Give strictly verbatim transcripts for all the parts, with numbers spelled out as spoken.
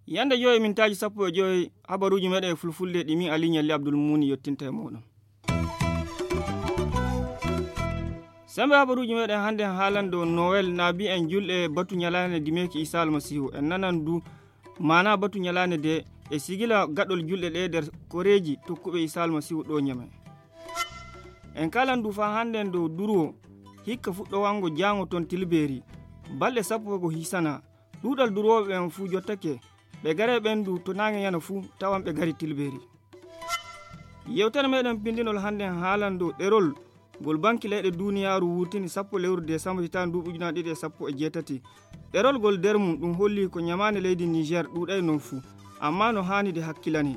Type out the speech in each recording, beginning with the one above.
Yande joyi mintaaji sappo e joyi, habaruuji meɗen e fulfulde ɗi min Aliou Nialli Abdoul Mouni yottinta e moɗon. Sembe habaruuji meɗen hannde en haalan dow Noel, na mbiyen julɗe batu ñalaande dimeeki Isa Almasiihu. En nanan du maana batu ñalaande de e sigila gaɗol julɗe ɗe nder koreeji tokkuɓe Isa Almasiihu ɗo ñame. En kalan du faa hannde en dow durwo hikka fuɗɗowango jaango ton Tilbeeri. Balɗe sappo ko hisana. Ɗuuɗal durwooɓe ɓen fuu jottake. Ɓe garee ɓen du to naange yana fuu tawan ɓe gari Tilbeeri. Yewtere meɗen pindinol hannde en haalan dow ɗerol ngol banki leyɗe duuniyaaru wurtini sappo lewru desambar hitaande ndu ujunaaji ɗiɗi e sappo e jeetati. Ɗerol ngol nder mum ɗum holli ko ñamaande leydi Niger ɗuuɗay non fuu, amma no haani de hakkilane.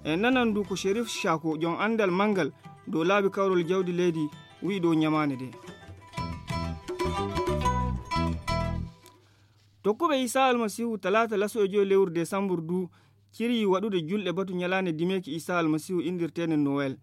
En nanan du ko Sherif Shako, jom anndal manngal dow laabi kawrol jawdi leydi, wi'i dow ñamaande de. Tokkuɓe Isa Almasiihu talaata laso e joyi lewru desambar du ciri waɗude julɗe batu ñalaande dimeeki Isa Almasiihu inndirteende Noel.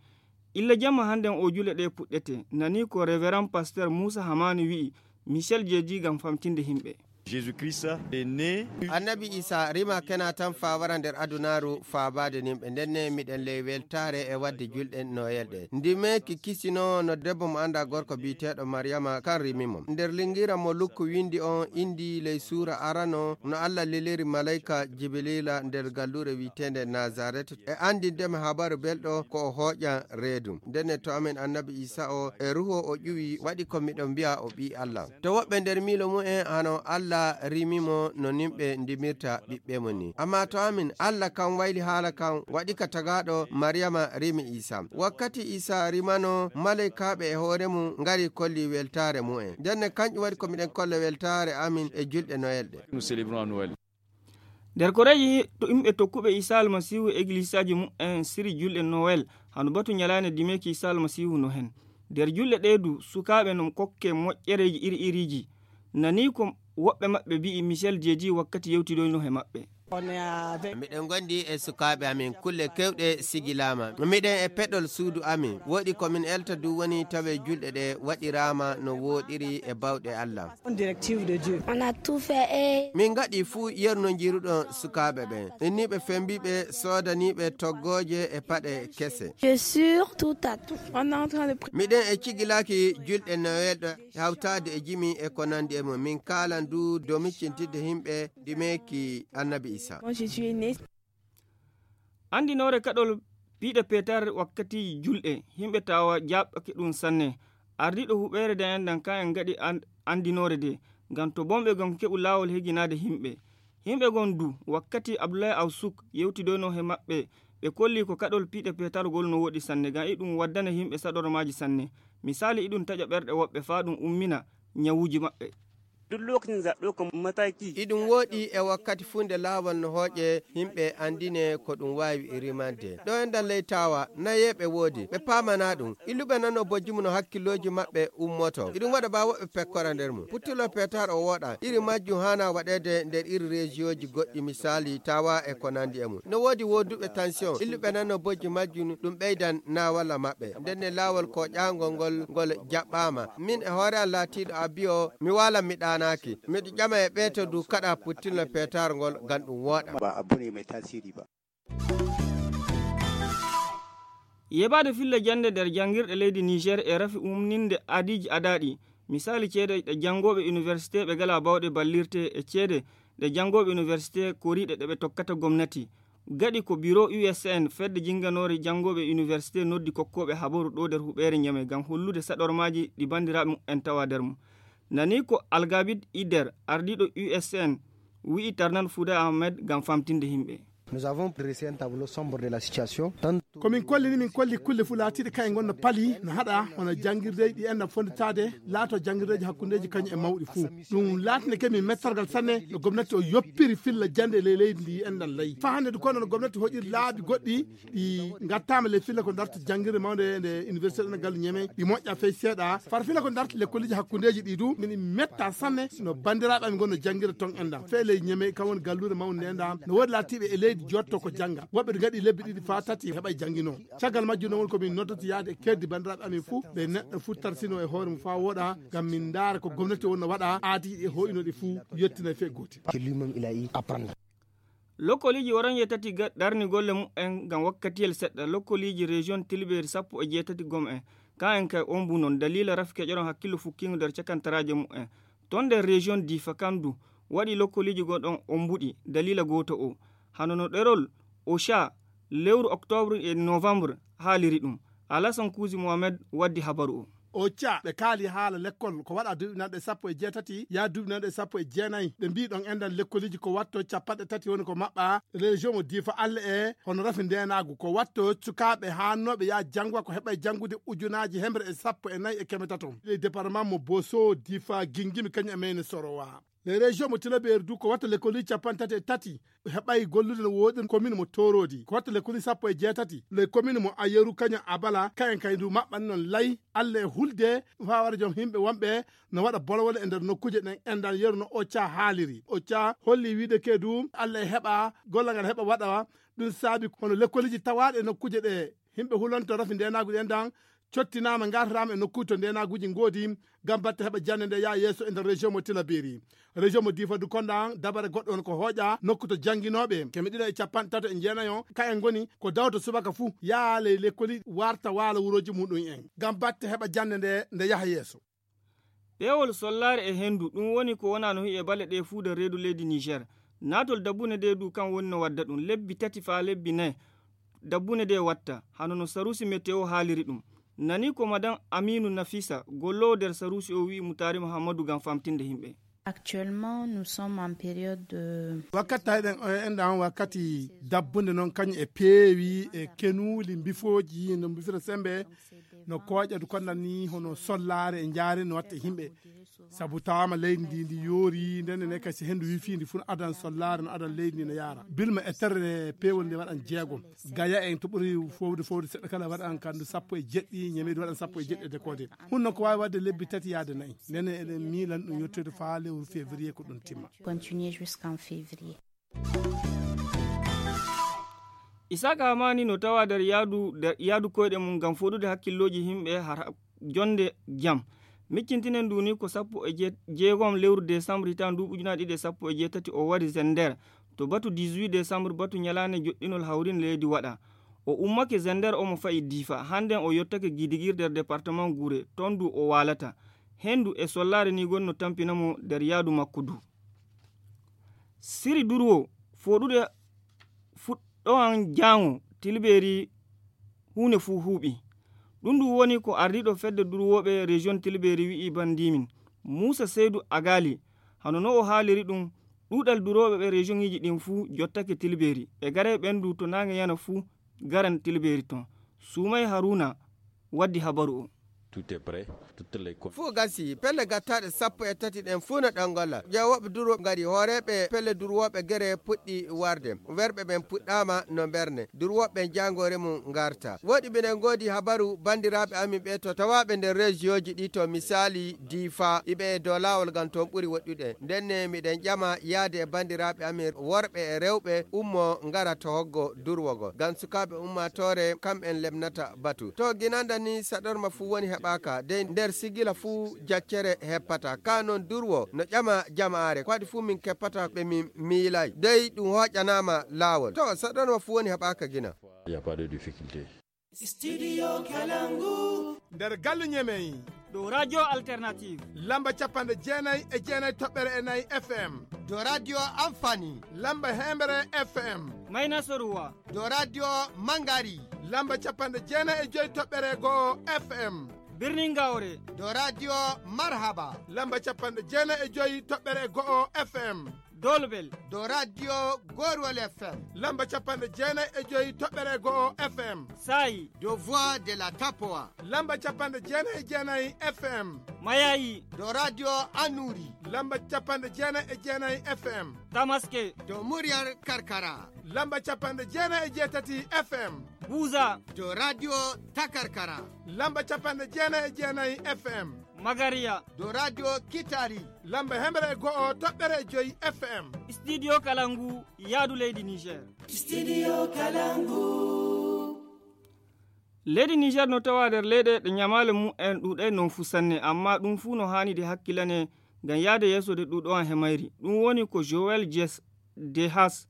Illa jamma hannden o julɗe ɗe puɗɗete, nani ko Reverend Pasteur Muusa Hamaani wi'i, Michel Jeedi ngam famtinde himɓe. Jésus-Christ est né. Annabi Isa rima kena tan faa wara nder adunaaru faa baade nimɓe. Ndenne miɗen ley weltaare e wadde julɗe Noyel ɗe. Ndimeeki kisino no debbo mo anndaa gorko biyeteeɗo Maryama kan rimi mo. Nder lingira mo Lukku windi on indi ley suura arano no Allah leliri malayka Jibrila nder galluure wi'eteende Nazaret e anndinde mo habaru belɗo ko o hooƴan reedu. Ndenne to amin annabi Isa o e ruho o ƴuwi waɗi ko miɗo mbi'a o ɓii Allah. To woɓɓe nder miilo mu'en hano Allah rimi mo no nimɓe ndimirta ɓiɓɓe mum ni. Amma to amin, Allah kan wayli haala kan waɗi ka tagaaɗo Maryama rimi Isa. Wakkati Isa rimano, malaykaaɓe e hoore mum ngari kolli weltaare mu'en. Ndenne kanƴum waɗi ko miɗen kolla weltaare amin e julɗe Noyel ɗe. Nous célébrons à Noël. Nder koreeji to yimɓe tokkuɓe Isa Almasiihu e eglisaaji mu'en siri julɗe Noel, hano batu ñalaande dimeeki Isa Almasiihu no hen. Nder julɗe ɗe du, sukaaɓe no kokke moƴƴereeji iri iriiji. Nani ko woɓɓe maɓɓe mbi'i Michel Jeedi wakkati yewtidoyno he maɓɓe. Miɗen gondi e sukaaɓe amin, kulle kewɗe sigilaama. Miɗen e peɗol suudu amin. Woɗi ko min elta du woni tawe julɗe ɗe waɗiraama no wooɗiri e bawɗe Allah. On directive de Dieu. On a tout fait et Min ngaɗi fuu yerno jiruɗon sukaaɓe ɓen. Inniiɓe fembiiɓe soodaniiɓe toggooje e paɗe kese. Je suis tout à tout. On est en train de pri- Miɗen e cigilaaki julɗe Noël ɗo hawtaade e jimi e ko nandi e mum. Min kaalan du dow miccintidde yimɓe ɗi meeki Annabi Isa. Moi, je suis né. Andinoore kaɗol piiɗe peetar wakkati julɗe, yimɓe tawa jaɓɓake ɗum sanne. Ardiiɗo huɓeere de enɗan kan en ngaɗi an-, andinoore de, ngam to bonɓe gam keɓu laawol heginaade yimɓe. Yimɓe gon du, wakkati Abdullahi Awsuk yewtidoyno he maɓɓe, ɓe kolli ko kaɗol piiɗe peetargol no woɗi sanne, ngam iɗum waddana yimɓe saɗormaaji sanne. Misaali, iɗum taƴa ɓerɗe woɓɓe faa ɗum ummina ñawuuji maɓɓe. Duk lokacin zaɓe ko mataki. Iɗum woɗi e wakkati fuu nde laawol no hooƴe, yimɓe andine ko ɗum waawi rimande. Ɗo enɗan ley tawa, nayeeɓe woodi, ɓe paamana ɗum. Illuɓe nano bojji mum no hakkillooji maɓɓe ummoto. Iɗum waɗa baa woɓɓe pekkora nder mum. Puttulo peetar o wooɗa. Iri majjum haana waɗeede nder iri rejiyooji goɗɗi, misaali, tawa e ko nandi e mum. No woodi wooduɓe tension. Illuɓe nano bojji majjum ɗum ɓeydan naawalla maɓɓe. Ndenne laawol ko ƴaangol ngol, ngol jaɓɓaama. Min e hoore am laatiiɗo abiyo, mi waalan mi ɗaanaaki. Miɗo ƴama e ɓeeto du kaɗa puttinol peetaar ngol ngam ɗum wooɗa. Ba abu ne mai tasiri ba. Yeɓaade filla jannde nder janngirɗe leydi Niger e rafi umninde adiiji adaaɗi. Misaali ceede ɗe janngooɓe université ɓe ngalaa bawɗe ballirte e ceede ɗe janngooɓe université koriiɗe ɗe ɓe tokkata gomnati. Gaɗi ko biro U S N, fedde jinnganoore janngooɓe université noddi kokkooɓe habaru ɗo nder huɓeere Ñame ngam hollude saɗormaaji ɗi banndiraaɓe muɓɓen tawa nder mum. Nani ko Algabid Ider, ardiiɗo U S N, wi'i Tarnan Fouda Ahmed ngam famtinde yimɓe. Nous avons dressé un tableau sombre de la situation. Tant Ko min kolli ni, min kolli kulle fuu laatiiɗe kañe ngon no pali, no haɗa, hono janngirdeeji ɗi enɗan fonnditaade, laato janngirdeeji hakkundeeji kañum e mawɗi fuu. Ɗum laatine ke min mettorgal sanne no gomnati o yoppiri filla jannde e ley leydi ndi enɗan layi. Faa hannde du kono no gomnati hoƴiri laabi goɗɗi ɗi ngattaama ley filla ko darta janngirde mawnde nde université ɗo Gallu Ñeme, ɗi moƴƴa fey seeɗa. Far filla ko darta lekkoliji hakkundeeji ɗi du, min metta sanne no banndiraaɓe amin ngon no janngirde ton enɗan. Fey ley Ñeme, kam woni galluure mawnde nde enɗan. No woodi laatiiɓe e leydi jotto ko jannga. Woɓɓe ngaɗi lebbi ɗiɗi faa tati heɓay janngino. Caggal majjum noon woni ko min noddata yaade e keeddi banndiraaɓe amin fuu, ɓe neɗɗo fuu tarsino e hoore mum faa wooɗa, ngam min ndaara ko gomnati wonno waɗa, aadi e hoyno ɗi fuu yettinay fee gootel. Lokkoliiji waranji e tati darni golle mumen ngam wakkatiyel seɗɗa. Lokkoliiji région Tilbeeri sappo e jeetati gom en, ka en kay ombu noon daliila rafi keƴoron hakkillo fukkingo nder cakantaraaje mumen. Ton nder région Difa kandu waɗi lokkoliiji goo ɗon ombuɗi daliila gooto o. Hano no ɗerol Ocha lewru octobre e novembre haaliri ɗum. Alasan Kuusi Mohamed waddi habaru o. Ocha ɓe kaali haala lekkol ko waɗa duuɓi nanɗe sappo e jeetati yaa duuɓi nanɗe sappo e jeenayi. Ɓe mbii ɗon enɗan lekkoliiji ko watto cappanɗe tati woni ko maɓɓa. Région mo Difa alle e hono rafi ndeenaagu ko watto sukaaɓe haannooɓe yaa janngo ko heɓay janngude ujunaaji hemre e sappo e nayi e keme tato. Ley département mo Boso, Difa, Gingimi kañum e Meyne Sorowa. Ley région mo Tilaberi du ko watta lekkoliiji cappanɗe tati e tati heɓay gollude no wooɗi commune mo Torodi ko watta lekkoliiji sappo e jeetati. Ley commune mo Ayeru kañum Abala kayen kay ndu maɓɓani noon lay alle e hulde faa wara joom himɓe wonɓe no waɗa bolwole e nder nokkuuje ɗen. Enɗan yeru no Ocha haaliri. Ocha holli wiide ke du alle e heɓa golla ngal heɓa waɗa. Ɗum saabi hono lekkoliiji tawaaɗe e nokkuuje ɗe himɓe hulonto rafi ndeenaagu ɗen ɗan cottinaama ngartataama e nokkuuji to ndeenaaguuji ngoodi ngam batte heɓa jannde nde yaha yeeso e nder région mo Tilaberi. Région mo Difa du konɗan dabare goɗɗo on ko hooƴa nokku to jannginooɓe keme ɗiɗo e capanɗe tato e jeenayo ka en ngoni ko dawto subaka fuu yaha ley lekkoli warta waala wurooji muɗum en ngam batte heɓa jannde nde nde yaha yeeso. Peewol sollaare e henndu ɗum woni ko wonaa no hi'e bale ɗee fuu nder reedu leydi Niger. Naatol dabbune ɗee du kan woni no wadda ɗum lebbi tati faa lebbi nayi. Dabbune ɗee watta hano no sarusi meteo haaliri ɗum. Nani ko madan Aminu Nafisa golloowo nder sarusi o wi'i Mutaari Muhammadu ngam famtinde himɓe. Actuellement nous sommes en période de wakkati tawiɗen o enɗan wakkati dabbunde noon kañum e peewi e kenuuli mbifooji no mbifira sembe no kooƴa du konɗan ni hono sollaare e njaare no watta e himɓe. Sabu tawaama leydi ndi ndi yoori ndenne ne kay si henndu wifii ndi fuu no adan sollaare no adan leydi ndi no yaara bilma e terre peewol nde waɗan jeegom. Gaya en to ɓuri fowde fowde seɗɗa kala waɗan kandu sappo e jeɗɗi ñameedu waɗan sappo e jeɗɗi e dekoode. Hun noon ko waawi waɗde lebbi tati yaade nayi ndenne eɗen miilan ɗum yettoyde faa lewru février ko ɗum timma. Continuer jusqu'en février. Isaaka Hamani no tawa nder yaadu nder yaadu koyɗe mum ngam foɗude hakkillooji yimɓe har jonde jam. Miccintinen ndu ni ko sappo e jeegom lewru décembre hitaande ndu ujunaaji ɗiɗi e sappo e jeetati o wari Zender to batu dix-huit décembre batu ñalaande joɗɗinol hawrin leydi waɗa. O ummake Zender omo fayi Difa hannden o yottake Gidigir nder département Gure ton ndu o waalata. Henndu e sollaare ni gonno tampina mo nder yaadu makko du. Siri durwo foɗude fuɗɗowan jaango tilbeeri huunde fuu huuɓi. Ɗum ɗum woni ko ardiiɗo fedde durwooɓe région tilbeeri wi'i bandiimin muusa seydu agaali. Hano no o haaliri ɗum ɗuuɗal durooɓe ɓe région iji ɗin fuu jottake tilbeeri ɓe garay ɓendu to naange yana fuu garan tilbeeri ton. Suumay haruna waddi habaru o. Fuu gasi pelle gattaaɗe sappo e tati ɗen fuu no ɗon ngolla. Ƴeewooɓe durwo ngari hooreeɓe pelle durwooɓe gere puɗɗi warde. Werɓe ɓen puɗɗaama no mberne durwooɓe ɓen jaangoore mum ngarta. Woɗi miɗen ngoodi habaru banndiraaɓe amin ɓe to tawaaɓe nder reesiyooji ɗi to misaali Diifa iɓe e dow laawol ngam toon ɓuri woɗɗude. Ndenne miɗen ƴama yaade e banndiraaɓe amin worɓe e rewɓe ummo ngara to hoggo durwo ngo ngam sukaaɓe ummaatoore kam'en lebnata batu. To ginanda ni saɗorma fuu woni heɓaaka dey nder sigila fuu jaccere heppata ka noon durwo no ƴama jamaare ko waɗi fuu min keppata ɓe min miilay dey ɗum hooƴanaama laawol to saɗorma fuu woni heɓaaka gina. Studio Kalangu. Nder galle ñemey. Ɗo radio alternative. Lamba capanɗe jeenay e jeenay toɓɓere e nayi F M. Ɗo radio Amfani. Lamba hembre F M. Mayna Soruwa. Ɗo radio Mangari. Lamba capanɗe jeenay e joy toɓɓere go'o F M. Birnin Gawre. Ɗo radio Marhaba. Lamba capanɗe jeenay e joy toɓɓere go'o F M. Dolbel. Ɗo radio Gorwol F M. Lamba capanɗe jeenay e joy toɓɓere go'o F M. Sayi. Ɗo Voix de la Tapoa. Lamba capanɗe jeenay e jeenay F M. Mayayi. Ɗo radio Anuri. Lamba capanɗe jeenay e jeenay F M. Tamaske. Ɗo Muryar Karkara. Lamba capanɗe jeenay e jeetati F M. Buza. Ɗo radio Takarkara. Lamba capanɗe jeenay e jeenay F M. Magaria. Dow radio Kitari. Lamba hemre e go'o toɓɓere e joyi F M. Studio Kalangu, yaadu leydi Niger. Studio Kalangu. Leydi Niger no tawa nder leyɗe ɗe ñamaale mum en ɗuuɗay noon fuu sanne, amma ɗum fuu no haani de hakkilane ngam yaade yeeso de ɗuuɗo an he mayri. Ɗum woni ko Joel Jes de Haas,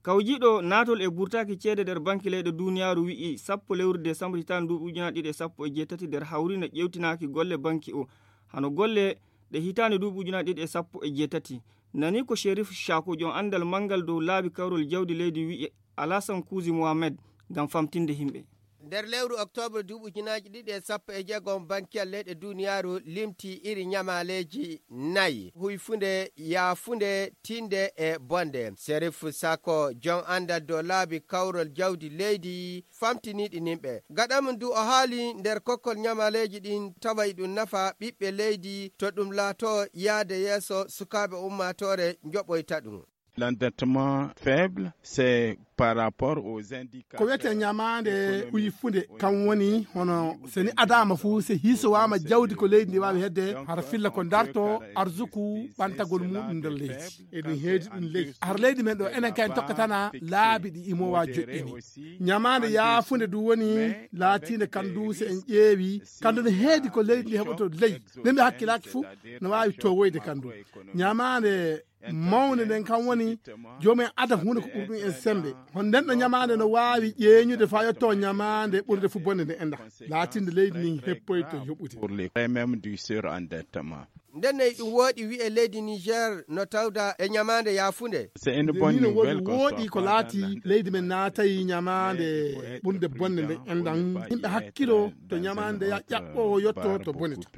kawjiiɗo naatol e burtaaki ceede nder banki leyɗe duuniyaaru wi'i sappo lewru desambur hitaande nduuɓu ujunaaji ɗiɗi e sappo e jeetati nder hawri no ƴeewtinaaki golle banki o. Hano golle ɗe hitaande nduuɓu ujunaaji ɗiɗi e sappo e jeetati. Nani ko Sherif Shako, joom anndal manngal dow laabi kawrol jawdi leydi wi'i Alasan Kuuzi Mohamed ngam famtinde himɓe. Nder lewru oktoobre duuɓi ujunaaji ɗiɗi e sappo e jeego, bankiyal leyɗe duuniyaaru limti iri ñamaaleeji nayi: huyfunde, yaafunde, tinde e bonde. Serif Sako, jom anndal dow laabi kawrol jawdi leydi, famtiniiɗi nimɓe. Gaɗa mum du, o haali nder kokkol ñamaaleeji ɗin, tawa iɗum nafa ɓiɓɓe leydi, to ɗum laato yaade yeeso sukaaɓe ummaatoore njoɓoyta ɗum. L'endettement faible, c'est par rapport aux indicateurs. Ko wiyetee ñamaande huyfunde, kam woni hono so ni adaama fuu, so hiisowaama jawdi ko leydi ndi waawi hedde, hara filla ko darto arsuku ɓantagol muɗum nder leydi. Eɗum heedi ɗum leydi. Har leydi men ɗo, enen kay en tokkatana laabi ɗi imowa joƴƴini. Ñamaande yaafunde du woni laatiinde kan du, so en ƴeewi, kan du no heedi ko leydi ndi heɓoto leydi. Nde mi hakkilaaki fuu, no waawi towoyde kan du. Ñamaande mawnde nden kam woni joomum en ada huunde ko ɓuri ɗum en semmbe. Hono nden ɗo ñamaande no waawi ƴeeñude faa yetto ñamaande ɓurde fu bonde nde enda. Laatinde leydi ndin heppoyto yoɓude. Pour les frais même du surendettement. Nden ne ɗum wooɗi wi'e leydi Niger no tawda e ñamaande yaafunde. C'est une bonne nouvelle qu'on soit pas dans la. Wooɗi ko laati leydi men naatayi ñamaande ɓurde bonde nde endan. Yimɓe hakkilo to ñamaande ya ƴaɓɓo yotto to bonita.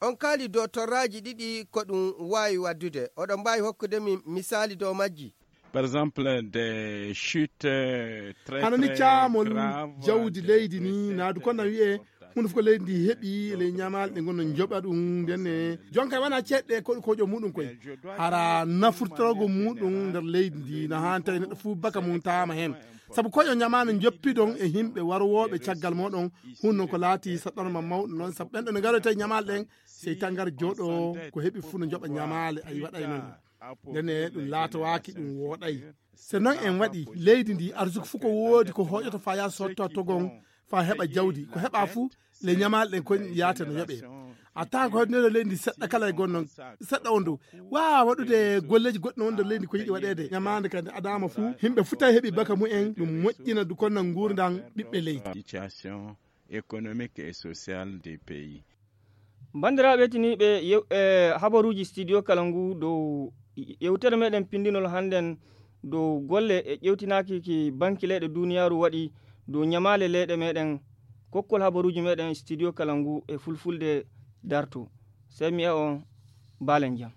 On kaali dow torraaji ɗiɗi ko ɗum waawi waddude. Oɗon mbaawi hokkude min misaali dow majji? Par exemple, des chutes, euh, très, hano ni très caamol graves, jawdi des leydi ni, détruites naadu kono wi'e, importantes. Huunde fof ko leydi ndi heɓi, ley ñamaale ɗe ngonno njoɓa ɗum, nden e jonka wona ceeɗɗe ko, ko joom muɗum koy. Hara nafurtorgo muɗum nder leydi ndi, no haani tawi neɗɗo fof baka mum taama heen. Sabu ko yo ñamaande njoppiɗon e yimɓe warwooɓe caggal mooɗon, hunno ko laati saɗɗorma mawɗo noon, sabu ɓen ɗo ne ngaroyta e ñamaale ɗen, sey tan ngar jooɗo ko heɓi fuu no njoɓa ñamaale, ay waɗay noon. Ndene ɗum laatowaaki, ɗum wooɗay. So noon en waɗi, leydi ndi arsuku fof ko woodi ko hoƴoto faa yaa sotta togon, faa heɓa jawdi. Ko heɓa fof, le ñamaale ɗen kon yaata no yoɓee. A tawan ko heddunoo leydi ndi seɗɗa kala e gonno, seɗɗa on dow. Waawa waɗude golleeji goɗɗi no wonde leydi ko yiɗi waɗeede. Ñamaande kadi adaama fof, yimɓe fof tawi heɓi baka mumen, ɗum moƴƴina du kono nguurndam ɓiɓɓe leydi. Situation économique et sociale des pays. Banndiraaɓe tiniiɓe yew-, e habaruuji studio kala ngu dow yewtere meɗen pinndinol hannden dow golle e ƴewtinaaki ki banki leyɗe duuniyaaru waɗi dow ñamaale leyɗe meɗen. Kokkol habaruuji meɗen studio kala ngu e fulfulde darto. Sey mi e on baalen jam.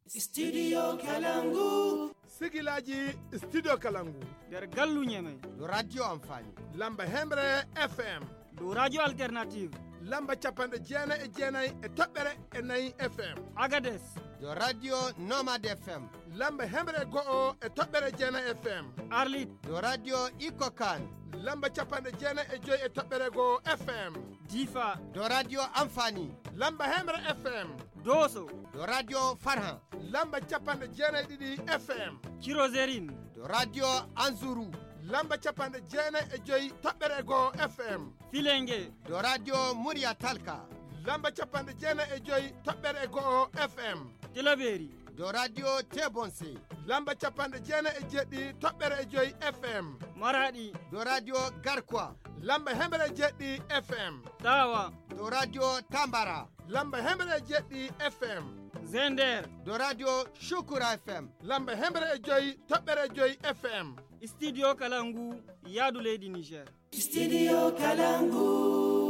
Studio Kalangu. Sigilaaji Studio Kalangu. Nder gallu Ñeme. Ɗo Radio Amfani. Lamba Hemre F M. Ɗo Radio Alternative. Lamba capanɗe jeenayi e jeenayi e toɓɓere e nayi F M. Agades. Ɗo Radio Nomad F M. Lamba hemre go'o e toɓɓere jeenayi F M. Arlit. Ɗo Radio Iko Kan. Lamba capanɗe jeenayi e joyi e toɓɓere go'o F M. Difa. Ɗo Radio Amfani. Lamba hemre F M. Doso. Ɗo Radio Farhan. Lamba capanɗe jeenayi ɗiɗi F M. Cirozerin. Ɗo Radio Anzuru. Lamba capanɗe jeenayi e joyi toɓɓere go'o F M. Filenge. Ɗo Radio Murya Talka. Lamba capanɗe jeenayi e joyi toɓɓere go'o F M. Tilaberi. Ɗo Radio Tebonse. Lamba capanɗe jeenayi e jeɗɗi toɓɓere e joyi F M. Maradi. Ɗo Radio Garkwa. Lamba hemre e jeɗɗi F M. Tawa. Ɗo Radio Tambara. Lamba hemre e jeɗɗi F M. Zender. Ɗo Radio Shukura F M. Lamba hemre e joyi toɓɓere joyi F M. Studio kala ngu yaadu leydi Niger. Studio Kalangu.